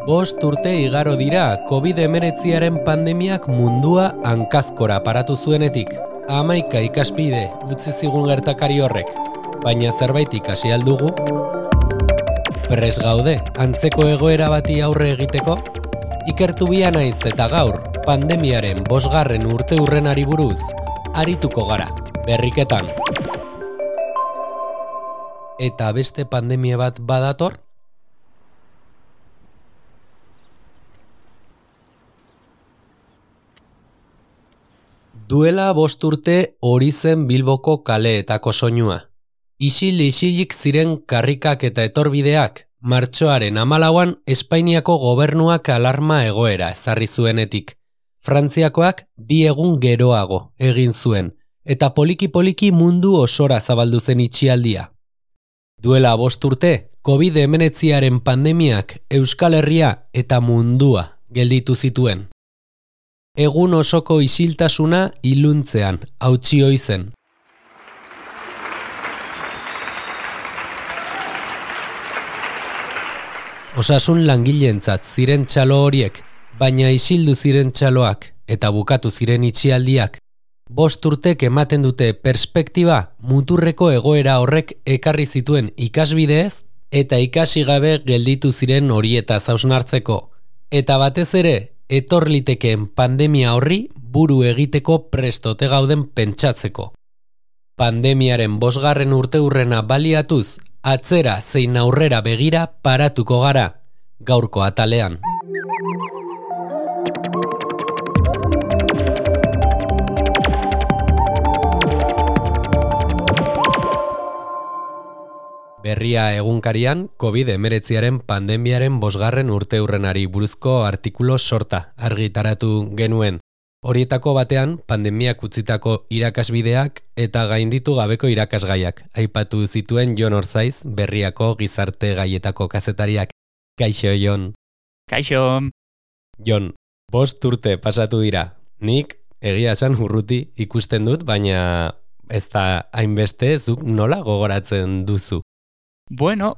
5 urte igaro dira COVID-19 pandemiak mundua hankazkora paratu zuenetik. 11 ikaspide utzi zigun gertakari horrek, baina zerbait ikasi al dugu? Prest gaude antzeko egoera bati aurre egiteko? Ikertu bia naiz eta gaur pandemiaren 5. urteurrenari buruz arituko gara, berriketan. Eta beste pandemia bat badator? Duela 5 urte hori zen Bilboko kaleetako soinua. Isil-isilik ziren karrikak eta etorbideak, martxoaren 14an Espainiako gobernuak alarma egoera ezarri zuenetik. Frantziakoak 2 egun geroago egin zuen, eta poliki-poliki mundu osora zabaldu zen itxialdia. Duela 5 urte, COVID-19 pandemiak Euskal Herria eta mundua gelditu zituen. Egun osoko isiltasuna iluntzean hautsi ohi zen. Osasun langileentzat ziren txalo horiek, baina isildu ziren txaloak eta bukatu ziren itxialdiak. 5 urtek ematen dute perspektiba muturreko egoera horrek ekarri zituen ikasbideez eta ikasi gabe gelditu ziren horietaz hausnartzeko. Eta batez ere, etor litekeen pandemia horri buru egiteko prestote gauden pentsatzeko. Pandemiaren 5. urteurrena baliatuz, atzera zein aurrera begira paratuko gara, gaurko atalean. Berria egunkarian, COVID-19 pandemiaren 5. urteurrenari buruzko artikulu sorta argitaratu genuen. Horietako batean, pandemiak utzitako irakasbideak eta gainditu gabeko irakasgaiak. Aipatu zituen Jon Orzaiz, Berriako gizarte gaietako kazetariak. Kaixo, Jon. Kaixo. Jon, 5 urte pasatu dira. Nik, egia esan urruti ikusten dut, baina ez da hainbeste zuk nola gogoratzen duzu. Bueno,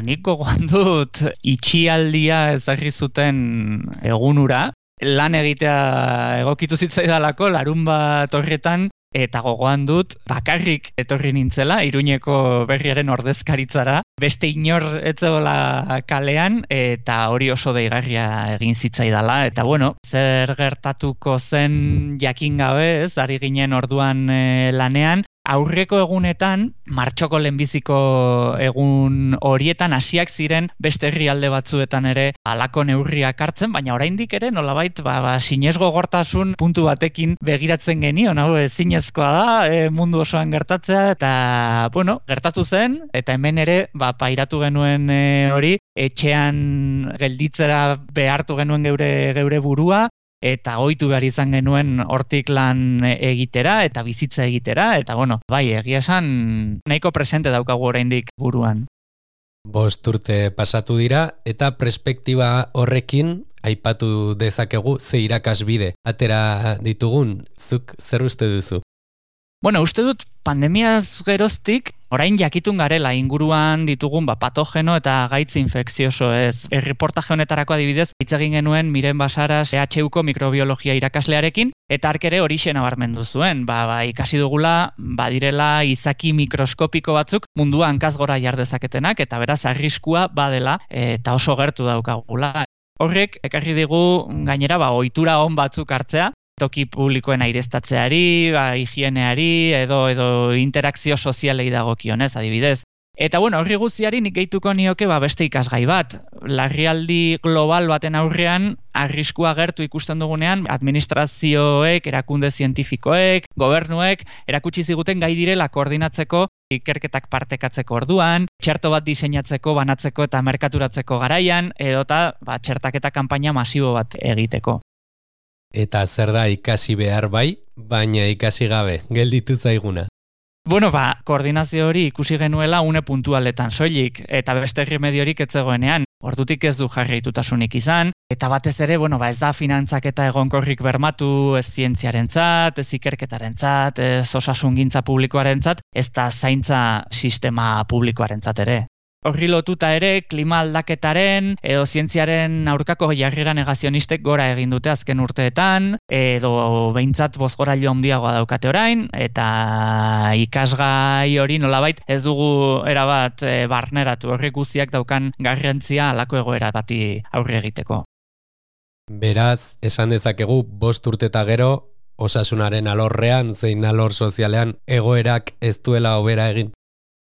nik gogoan dut itxialdia ezarri zuten egunura, lan egitea egokitu zitzaidalako larunbat horretan, eta gogoan dut bakarrik etorri nintzela Iruñeko Berriaren ordezkaritzara, beste inor ez zegoela kalean, eta hori oso deigarria egin zitzaidala, eta bueno, zer gertatuko zen jakin gabe, ari ginen orduan lanean. Aurreko egunetan, martxoko lehenbiziko egun horietan hasiak ziren beste herrialde batzuetan ere halako neurriak hartzen, baina oraindik ere nolabait sinesgogortasun puntu batekin begiratzen genion, hau ezinezkoa da, mundu osoan gertatzea, eta bueno, gertatu zen, eta hemen ere pairatu genuen hori, etxean gelditzera behartu genuen geure burua, eta ohitu behar izan genuen hortik lan egitera eta bizitza egitera, eta bueno, egia esan nahiko presente daukagu oraindik buruan. 5 urte pasatu dira eta perspektiba horrekin aipatu dezakegu ze irakasbide atera ditugun, zuk zer uste duzu? Bueno, uste dut pandemiaz geroztik, orain jakitun garela inguruan ditugun patogeno eta gaitz infekzioso ez. Erreportaje honetarako adibidez, hitz egin genuen Miren Basaras EHUko mikrobiologia irakaslearekin, eta hark ere horixe nabarmendu zuen. Ikasi dugula, badirela izaki mikroskopiko batzuk mundua hankazgora jar dezaketenak, eta beraz arriskua badela eta oso gertu daukagula. Horrek ekarri digu gainera ohitura on batzuk hartzea, toki publikoen aireztatzeari, higieneari edo interakzio sozialei dagokionez adibidez. Eta bueno, horri guztiari nik gehituko nioke beste ikasgai bat. Larrialdi global baten aurrean arriskua gertu ikusten dugunean administrazioek, erakunde zientifikoek, gobernuek erakutsi ziguten gai direla koordinatzeko, ikerketak partekatzeko orduan, txerto bat diseinatzeko, banatzeko eta merkaturatzeko garaian, edota txertaketa kanpaina masibo bat egiteko. Eta zer da ikasi behar baina ikasi gabe, gelditu zaiguna? Bueno, koordinazio hori ikusi genuela une puntualetan soilik, eta beste remediorik ez zegoenean. Ordutik ez du jarraitutasunik izan, eta batez ere, ez da finantzaketa egonkorrik bermatu, ez zientziarentzat, ez ikerketarentzat, ez osasungintza publikoarentzat, ez da zaintza sistema publikoarentzat ere. Horri lotuta ere, klima aldaketaren edo zientziaren aurkako jarrera negazionistek gora egin dute azken urteetan, edo behintzat bozgorailu handiagoa daukate orain, eta ikasgai hori nolabait ez dugu erabat barneratu horrek guztiak daukan garrantzia halako egoera bati aurre egiteko. Beraz, esan dezakegu 5 urte eta gero, osasunaren alorrean, zein alor sozialean, egoerak ez duela hobera egin?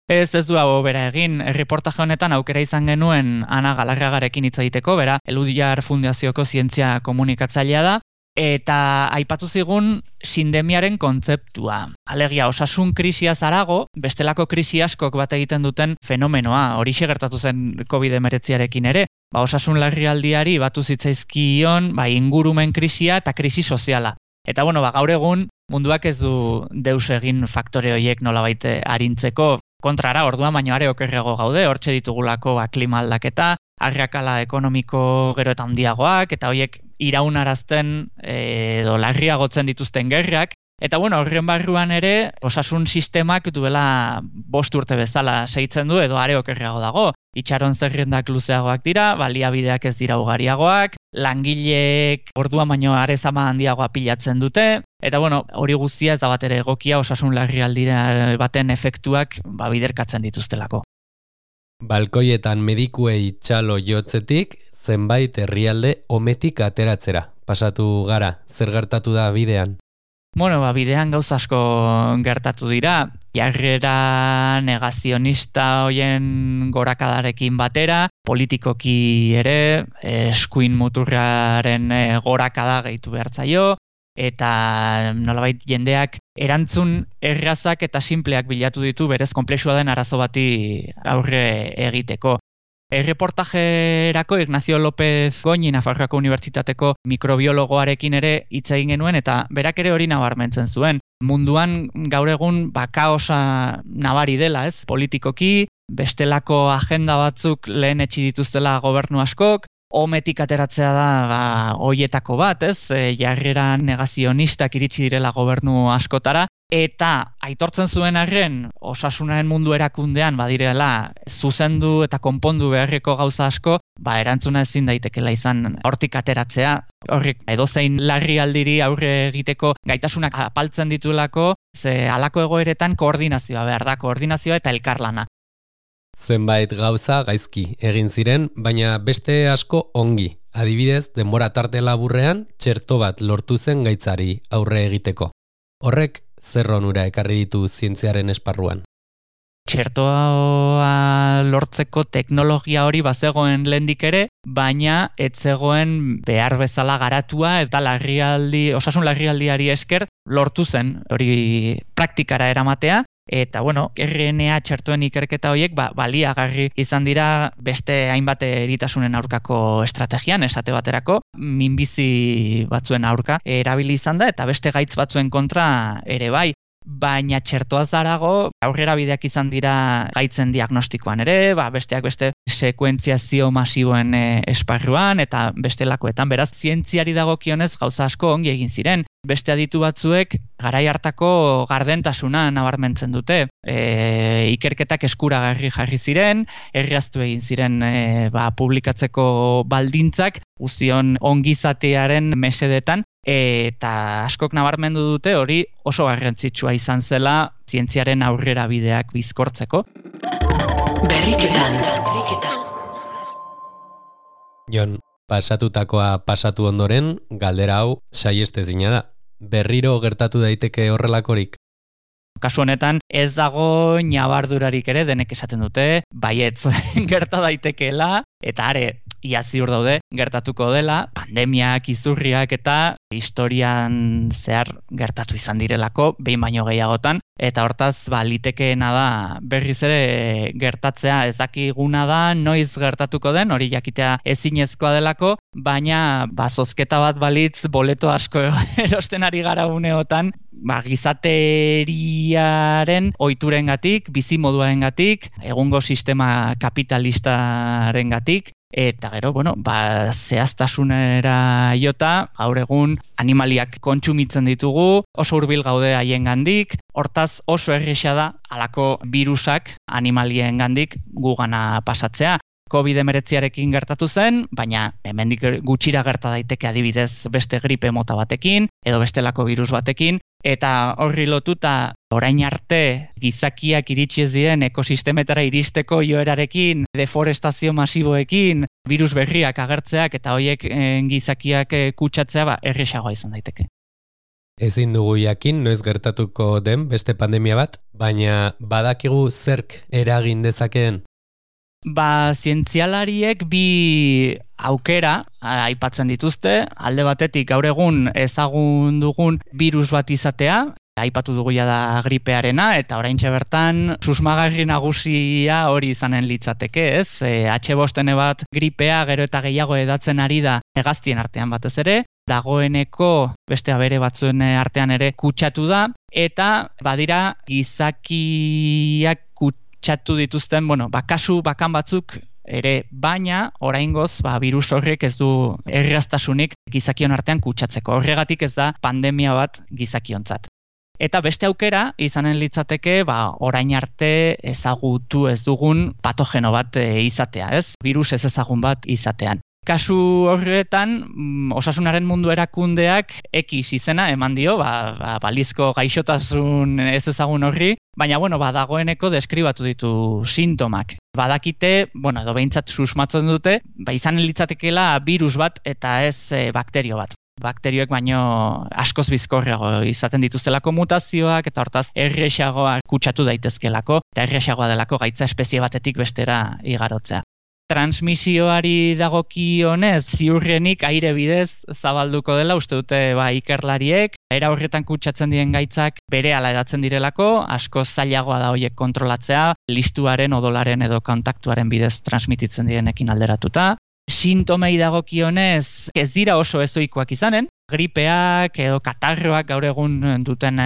Ez du hobera egin, reportaje honetan aukera izan genuen Ana Galarragarekin hitz egiteko, bera, Eludiar Fundazioko zientzia komunikatzailea da, eta aipatu zigun sindemiaren kontzeptua. Alegia, osasun krisiaz harago, bestelako krisi askok bat egiten duten fenomenoa, horixe gertatu zen COVID-19arekin ere, osasun larrialdiari batu zitzaizkion ingurumen krisia eta krisi soziala. Eta gaur egun munduak ez du deus egin faktore horiek nolabait arintzeko, kontrara, orduan baino are okerrago gaude, hortxe ditugulako klima aldaketa, arrakala ekonomiko gero eta handiagoak, eta horiek iraunarazten edo larriagotzen dituzten gerrak. Eta horren barruan ere, osasun sistemak duela 5 urte bezala segitzen du edo are okerrago dago. Itxaron zerrendak luzeagoak dira, baliabideak ez dira ugariagoak, langileek orduan baino are zama handiagoa pilatzen dute, eta hori guztia ez da bat ere egokia osasun larrialdira baten efektuak biderkatzen dituztelako. Balkoietan medikuei txalo jotzetik, zenbait herrialde ometik ateratzera. Pasatu gara, zer gertatu da bidean? Bidean gauza asko gertatu dira, jarrera negazionista hoien gorakadarekin batera, politikoki ere, eskuin muturraren gorakada gehitu behartzaio, eta nolabait jendeak erantzun errazak eta sinpleak bilatu ditu berez konplexua den arazo bati aurre egiteko. Erreportajerako Ignacio López Goñi Nafarroako Unibertsitateko mikrobiologoarekin ere hitz egin genuen eta berak ere hori nabarmentzen zuen. Munduan gaur egun kaosa nabari dela, ez? Politikoki, bestelako agenda batzuk lehen etxi dituztela gobernu askok, ometik ateratzea da hoietako bat, ez? Jarrera negazionistak iritsi direla gobernu askotara, eta aitortzen zuen arren osasunaren mundu erakundean badirela zuzendu eta konpondu beharreko gauza asko, erantzuna ezin daitekela izan hortik ateratzea, horrek edozein larrialdiri aurre egiteko gaitasunak apaltzen ditulako, ze halako egoeretan koordinazioa behar da, koordinazioa eta elkarlana. Zenbait gauza gaizki egin ziren, baina beste asko ongi. Adibidez, denbora tarte laburrean txerto bat lortu zen gaitzari aurre egiteko. Horrek zer onura ekarri ditu zientziaren esparruan? Txertoa lortzeko teknologia hori bazegoen lehendik ere, baina ez zegoen behar bezala garatua eta osasun larrialdiari esker lortu zen hori praktikara eramatea. Eta, RNA txertoen ikerketa horiek baliagarri izan dira beste hainbat eritasunen aurkako estrategian, esate baterako, minbizi batzuen aurka erabili izan da, eta beste gaitz batzuen kontra ere bai. Baina txertoaz harago aurrera bideak izan dira gaitzen diagnostikoan ere, besteak beste sekuentziazio masiboen esparruan eta bestelakoetan. Beraz, zientziari dagokionez gauza asko ongi egin ziren. Beste aditu batzuek garai hartako gardentasuna nabarmentzen dute. Ikerketak eskuragarri jarri ziren, erraztu egin ziren publikatzeko baldintzak, guztion ongizatearen mesedetan, eta askok nabarmendu dute hori oso garrantzitsua izan zela zientziaren aurrera bideak bizkortzeko. Berriketan. Jon, pasatutakoa pasatu ondoren, galdera hau saiestezina da. Berriro gertatu daiteke horrelakorik? Kasu honetan ez dago ñabardurarik ere, denek esaten dute, baietz gerta daitekeela, eta are, ia ziur daude, gertatuko dela, pandemiak, izurriak eta historian zehar gertatu izan direlako, behin baino gehiagotan, eta hortaz, litekeena da berriz ere gertatzea ezakiguna da, noiz gertatuko den, hori jakitea ezinezkoa delako, baina zozketa bat balitz boleto asko erosten ari gara uneotan, gizateriaren ohiturengatik, bizimoduarengatik, egungo sistema kapitalistarengatik, Eta gero, zehaztasunera jota, gaur egun animaliak kontsumitzen ditugu, oso hurbil gaude haiengandik, hortaz oso erraza da halako birusak animaliengandik gugana pasatzea. COVID-19arekin gertatu zen, baina hemendik gutxira gerta daiteke adibidez beste gripe mota batekin, edo bestelako virus batekin, eta horri lotuta orain arte gizakiak iritsi ez diren ekosistemetara iristeko joerarekin, deforestazio masiboekin, virus berriak agertzeak eta horiek gizakiak kutsatzea errazagoa izan daiteke. Ezin dugu jakin noiz gertatuko den beste pandemia bat, baina badakigu zerk eragin dezakeen? Zientzialariek bi aukera aipatzen dituzte, alde batetik gaur egun ezagun dugun virus bat izatea, aipatu dugu da gripearena, eta oraintxe bertan susmagarri nagusia hori izanen litzateke, ez? H5N bat gripea gero eta gehiago edatzen ari da hegaztien artean batez ere, dagoeneko beste abere batzuen artean ere kutsatu da, eta badira gizakiak kutsatu dituzten, kasu bakan batzuk ere, baina oraingoz virus horrek ez du erraztasunik gizakion artean kutsatzeko. Horregatik ez da pandemia bat gizakiontzat. Eta beste aukera izanen litzateke orain arte ezagutu ez dugun patogeno bat izatea, ez? Virus ez ezagun bat izatean. Kasu horretan, osasunaren mundu erakundeak X izena eman dio, balizko gaixotasun ez ezagun horri, baina dagoeneko deskribatu ditu sintomak. Badakite, edo behintzat susmatzen dute, izan litzatekeela virus bat eta ez bakterio bat. Bakterioek baino askoz bizkorrago izaten dituztelako mutazioak eta hortaz errazagoa kutsatu daitezkelako eta errazagoa delako gaitza espezie batetik bestera igarotzea. Transmisioari dagokionez ziurrenik aire bidez zabalduko dela uste dute ikerlariek, era horretan kutsatzen diren gaitzak berehala edatzen direlako, asko zailagoa da horiek kontrolatzea, listuaren, odolaren edo kontaktuaren bidez transmititzen direnekin alderatuta. Sintomei dagokionez ez dira oso ezoikoak izanen, gripeak edo katarroak gaur egun duten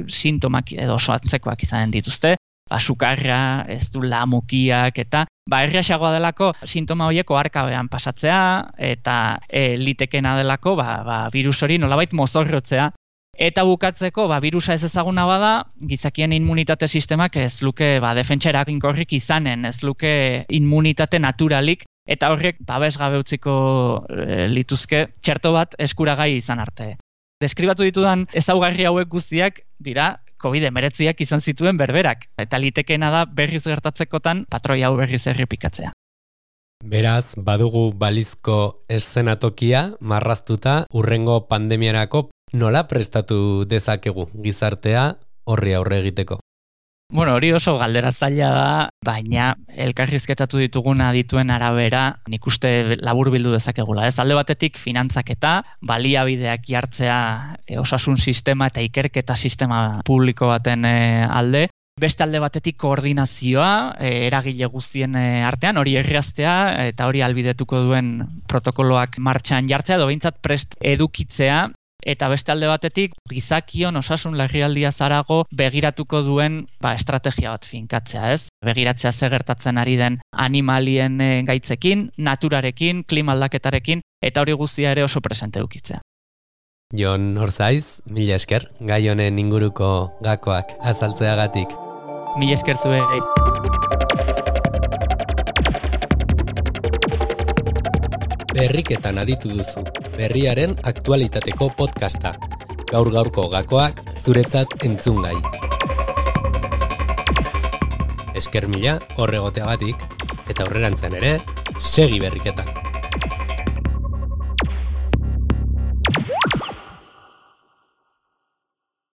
sintomak edo oso antzekoak izanen dituzte, sukarra, ez du lamukiak eta errazagoa delako sintoma horiek oharkabean pasatzea eta litekena delako virus hori nolabait mozorrotzea. Eta bukatzeko, virusa ez ezaguna bada, gizakien immunitate sistemak ez luke defentsa eraginkorrik izanen, ez luke immunitate naturalik, eta horrek babesgabe utziko lituzke txerto bat eskuragai izan arte. Deskribatu ditudan ezaugarri hauek guztiak dira COVID-19ak izan zituen berberak, eta litekeena da berriz gertatzekotan patroi hau berriz errepikatzea. Beraz, badugu balizko eszenatokia marraztuta urrengo pandemiarako nola prestatu dezakegu gizartea horri aurre egiteko? Hori oso galdera zaila da, baina elkarrizketatu ditugun adituen arabera nik uste laburbildu dezakegula. Alde batetik finantzaketa, baliabideak jartzea osasun sistema eta ikerketa sistema publiko baten alde. Beste alde batetik koordinazioa, eragile guztien artean, hori erraztea eta hori albidetuko duen protokoloak martxan jartzea, edo behintzat prest edukitzea. Eta beste alde batetik, gizakion osasun larrialdia zarago begiratuko duen estrategia bat finkatzea, ez? Begiratzea zer gertatzen ari den animalien gaitzekin, naturarekin, klima aldaketarekin, eta hori guztia ere oso presente edukitzea. Jon Orzaiz, mila esker, gai honen inguruko gakoak azaltzeagatik. Mila esker zuei. Berriketan aditu duzu, berriaren aktualitateko podcasta. Gaur-gaurko gakoak zuretzat entzungai. Esker mila horregoteagatik, eta aurrerantzean ere, segi berriketan.